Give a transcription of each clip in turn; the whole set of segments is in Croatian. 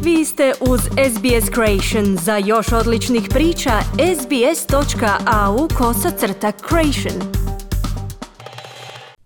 Vi ste uz SBS Creation. Za još odličnih priča, sbs.au/creation.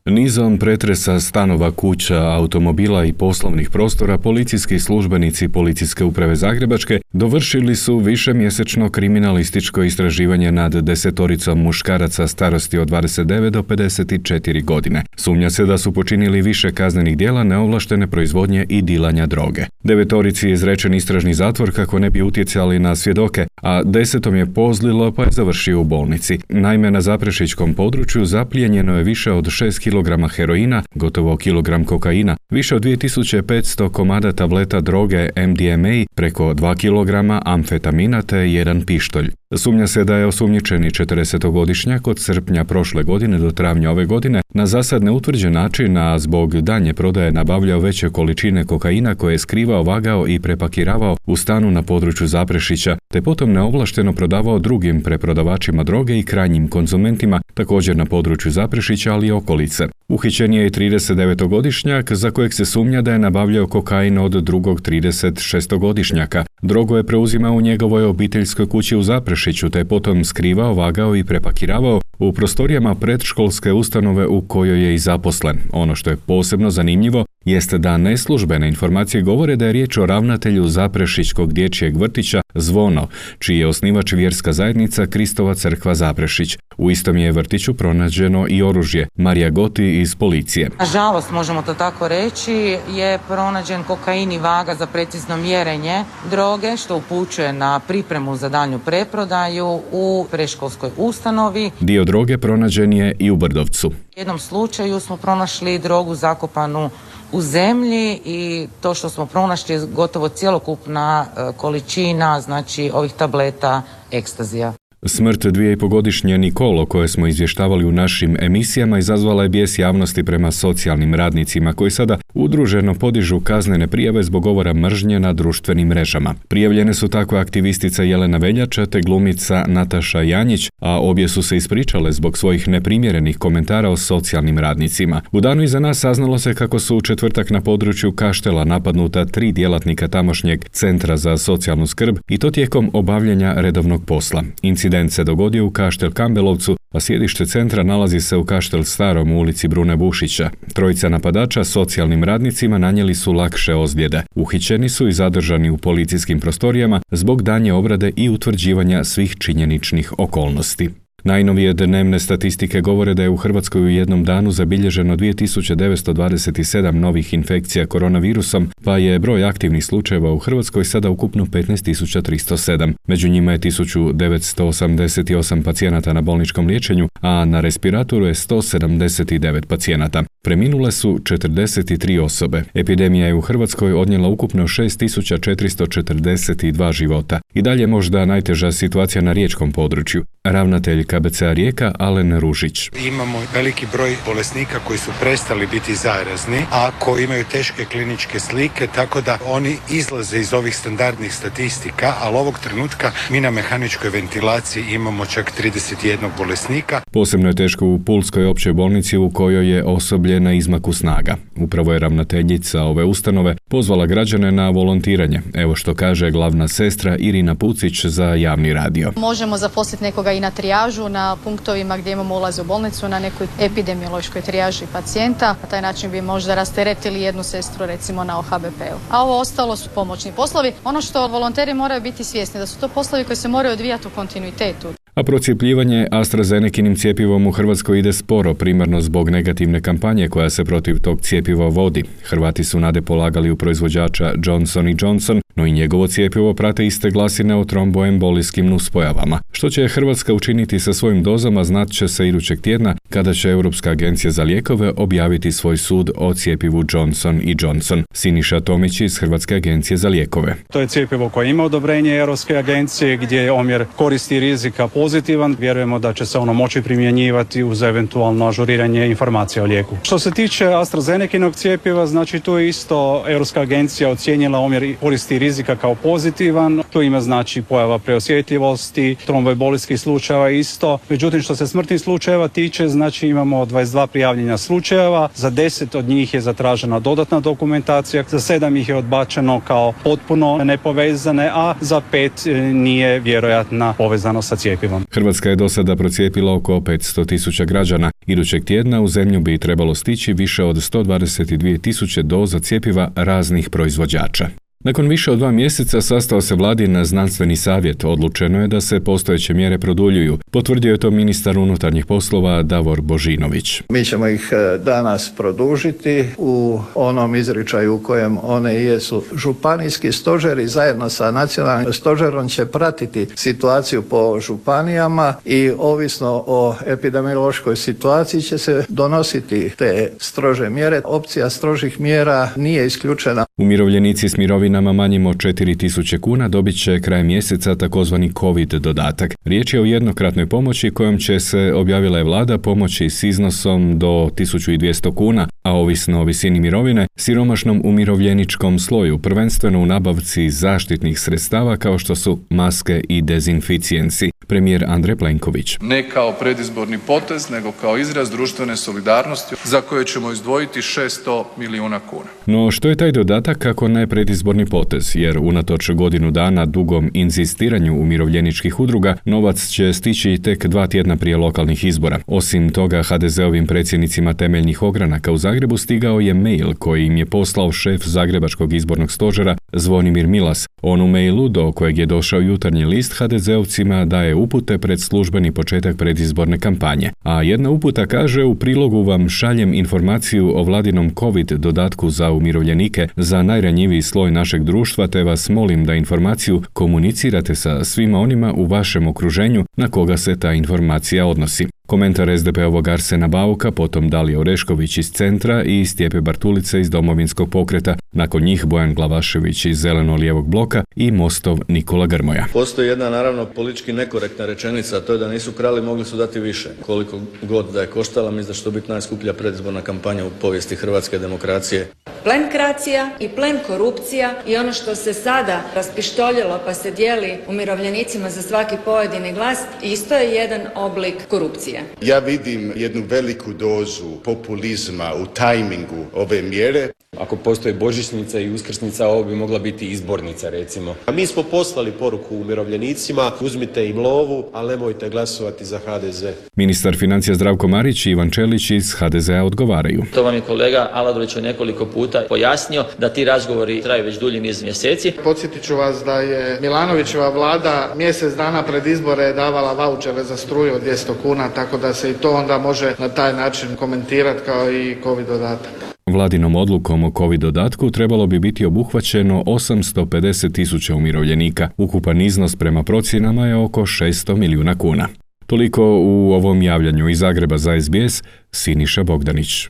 Nizom pretresa stanova, kuća, automobila i poslovnih prostora policijski službenici Policijske uprave Zagrebačke dovršili su višemjesečno kriminalističko istraživanje nad 10 muškaraca starosti od 29 do 54 godine. Sumnja se da su počinili više kaznenih djela neovlaštene proizvodnje i dilanja droge. 9 je izrečen istražni zatvor kako ne bi utjecali na svjedoke, a 10 je pozlilo pa je završio u bolnici. Naime, na zaprešićkom području zaplijenjeno je više od 6 kg heroina, gotovo kilogram kokaina, više od 2500 komada tableta droge MDMA, preko 2 kg amfetamina te 1 pištolj. Sumnja se da je osumnjičeni 40-godišnjak od srpnja prošle godine do travnja ove godine na zasad neutvrđen način, a zbog daljnje prodaje nabavljao veće količine kokaina koje je skrivao, vagao i prepakiravao u stanu na području Zaprešića, te potom neovlašteno prodavao drugim preprodavačima droge i krajnjim konzumentima, također na području Zaprešića, ali i okolice. Uhićen je i 39-godišnjak za kojeg se sumnja da je nabavljao kokain od drugog 36-godišnjaka. Drogu je preuzimao u njegovoj obiteljskoj kući u Zaprešiću, te je potom skrivao, vagao i prepakiravao u prostorijama predškolske ustanove u kojoj je i zaposlen. Ono što je posebno zanimljivo jeste da neslužbene informacije govore da je riječ o ravnatelju Zaprešićkog dječjeg vrtića Zvono, čiji je osnivač vjerska zajednica Kristova crkva Zaprešić. U istom je vrtiću pronađeno i oružje. Marija Goti iz policije. Nažalost, možemo to tako reći, je pronađen kokain i vaga za precizno mjerenje droge, što upućuje na pripremu za daljnju preprodaju u predškolskoj ustanovi. Dio droge pronađen je i u Brdovcu. U jednom slučaju smo pronašli drogu zakopanu u zemlji i to što smo pronašli je gotovo cjelokupna količina, znači ovih tableta ekstazija. Smrt 2,5-godišnje Nikol, o kojoj smo izvještavali u našim emisijama, izazvala je bijes javnosti prema socijalnim radnicima koji sada udruženo podižu kaznene prijave zbog govora mržnje na društvenim mrežama. Prijavljene su tako aktivistica Jelena Veljača te glumica Nataša Janjić, a obje su se ispričale zbog svojih neprimjerenih komentara o socijalnim radnicima. U danu iza nas saznalo se kako su u četvrtak na području Kaštela napadnuta 3 djelatnika tamošnjeg centra za socijalnu skrb i to tijekom obavljanja redovnog posla. Incident se dogodio u Kaštel Kambelovcu, a sjedište centra nalazi se u Kaštel Starom u ulici Brune Bušića. 3 napadača socijalnim radnicima nanijeli su lakše ozljede. Uhićeni su i zadržani u policijskim prostorijama zbog daljnje obrade i utvrđivanja svih činjeničnih okolnosti. Najnovije dnevne statistike govore da je u Hrvatskoj u jednom danu zabilježeno 2927 novih infekcija koronavirusom, pa je broj aktivnih slučajeva u Hrvatskoj sada ukupno 15.307. Među njima je 1988 pacijenata na bolničkom liječenju, a na respiratoru je 179 pacijenata. Preminule su 43 osobe. Epidemija je u Hrvatskoj odnijela ukupno 6442 života. I dalje možda najteža situacija na riječkom području. Ravnatelj KBC-a Rijeka Alen Ružić. Imamo veliki broj bolesnika koji su prestali biti zarazni, a koji imaju teške kliničke slike, tako da oni izlaze iz ovih standardnih statistika, ali ovog trenutka mi na mehaničkoj ventilaciji imamo čak 31 bolesnika. Posebno je teško u Pulskoj općoj bolnici u kojoj je osoblje na izmaku snaga. Upravo je ravnateljica ove ustanove pozvala građane na volontiranje. Evo što kaže glavna sestra Irina Pucić za javni radio. Možemo zaposliti nekoga i na trijažu, na punktovima gdje imamo ulaz u bolnicu, na nekoj epidemiološkoj trijaži pacijenta. Na taj način bi možda rasteretili jednu sestru recimo na OHBP-u. A ovo ostalo su pomoćni poslovi. Ono što volonteri moraju biti svjesni da su to poslovi koji se moraju odvijati u kontinuitetu. A procjepljivanje AstraZenekinim cjepivom u Hrvatskoj ide sporo, primarno zbog negativne kampanje koja se protiv tog cjepiva vodi. Hrvati su nade polagali u proizvođača Johnson & Johnson, no i njegovo cjepivo prate iste glasine o tromboembolijskim nuspojavama. Što će Hrvatska učiniti sa svojim dozama znat će se idućeg tjedna kada će Europska agencija za lijekove objaviti svoj sud o cjepivu Johnson & Johnson. Siniša Tomić iz Hrvatske agencije za lijekove. To je cjepivo koje ima odobrenje Europske agencije gdje je omjer koristi i rizika pozitivan. Vjerujemo da će se ono moći primjenjivati uz eventualno ažuriranje informacija o lijeku. Što se tiče AstraZenekinog cjepiva, znači tu je isto Europska agencija ocijenila omjer koristi i rizika kao pozitivan. To ima znači pojava preosjetljivosti, tromboembolijskih slučajeva isto. Međutim, što se smrtnih slučajeva tiče, znači imamo 22 prijavljenja slučajeva, za 10 od njih je zatražena dodatna dokumentacija, za 7 ih je odbačeno kao potpuno nepovezane, a za 5 nije vjerojatna povezanost sa cjepivom. Hrvatska je do sada procijepila oko 500.000 građana. Idućeg tjedna u zemlju bi trebalo stići više od 122.000 doza cjepiva raznih proizvođača. Nakon više od 2 mjeseca sastao se vladin znanstveni savjet. Odlučeno je da se postojeće mjere produljuju. Potvrdio je to ministar unutarnjih poslova Davor Božinović. Mi ćemo ih danas produžiti u onom izričaju u kojem one jesu. Županijski stožeri zajedno sa nacionalnim stožerom će pratiti situaciju po županijama i ovisno o epidemiološkoj situaciji će se donositi te strože mjere. Opcija strožih mjera nije isključena. Umirovljenici s mirovinama manjim od 4.000 kuna dobit će krajem mjeseca takozvani COVID dodatak. Riječ je o jednokratnoj pomoći kojom će se, objavila je vlada, pomoći s iznosom do 1.200 kuna, a ovisno o visini mirovine, siromašnom umirovljeničkom sloju, prvenstveno u nabavci zaštitnih sredstava kao što su maske i dezinficijensi. Premijer Andrej Plenković. Ne kao predizborni potez, nego kao izraz društvene solidarnosti za koje ćemo izdvojiti 600 milijuna kuna. No što je taj dodatak kako ne predizborni potez, jer unatoč godinu dana dugom inzistiranju umirovljeničkih udruga, novac će stići tek 2 tjedna prije lokalnih izbora. Osim toga, HDZ-ovim predsjednicima temeljnih ogranaka u Zagrebu stigao je mail koji im je poslao šef Zagrebačkog izbornog stožera Zvonimir Milas. On u mailu, do kojeg je došao Jutarnji list, HDZ-ovcima daje upute pred službeni početak predizborne kampanje. A jedna uputa kaže: u prilogu vam šaljem informaciju o vladinom COVID dodatku za umirovljenike za najranjiviji sloj našeg društva, te vas molim da informaciju komunicirate sa svima onima u vašem okruženju na koga se ta informacija odnosi. Komentar SDP-ovog Arsena Bauka, potom Dalije Orešković iz Centra i Stjepe Bartulice iz Domovinskog pokreta. Nakon njih Bojan Glavašević iz Zeleno-lijevog bloka i Mostov Nikola Grmoja. Postoji jedna naravno politički nekorektna rečenica, a to je da nisu krali, mogli su dati više. Koliko god da je koštala, mislim da će to biti najskuplja predizborna kampanja u povijesti hrvatske demokracije. Plenkracija i plen korupcija i ono što se sada raspištoljilo pa se dijeli umirovljenicima za svaki pojedini glas, isto je jedan oblik korupcije. Ja vidim jednu veliku dozu populizma u tajmingu ove mjere. Ako postoji božićnica i uskrsnica, ovo bi mogla biti izbornica, recimo. A mi smo poslali poruku umirovljenicima: uzmite im lovu, ali nemojte glasovati za HDZ. Ministar financija Zdravko Marić i Ivan Čelić iz HDZ-a odgovaraju. To vam je kolega Aladrović nekoliko puta pojasnio da ti razgovori traju već dulji niz mjeseci. Podsjetit ću vas da je Milanovićeva vlada mjesec dana pred izbore davala vaučere za struju od 200 kuna, tako da se i to onda može na taj način komentirati kao i COVID dodatak. Vladinom odlukom o COVID dodatku trebalo bi biti obuhvaćeno 850.000 umirovljenika. Ukupan iznos prema procjenama je oko 600 milijuna kuna. Toliko u ovom javljanju iz Zagreba za SBS, Siniša Bogdanić.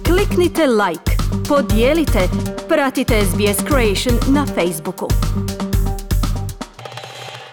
Kliknite like, podijelite, pratite SBS Creation na Facebooku.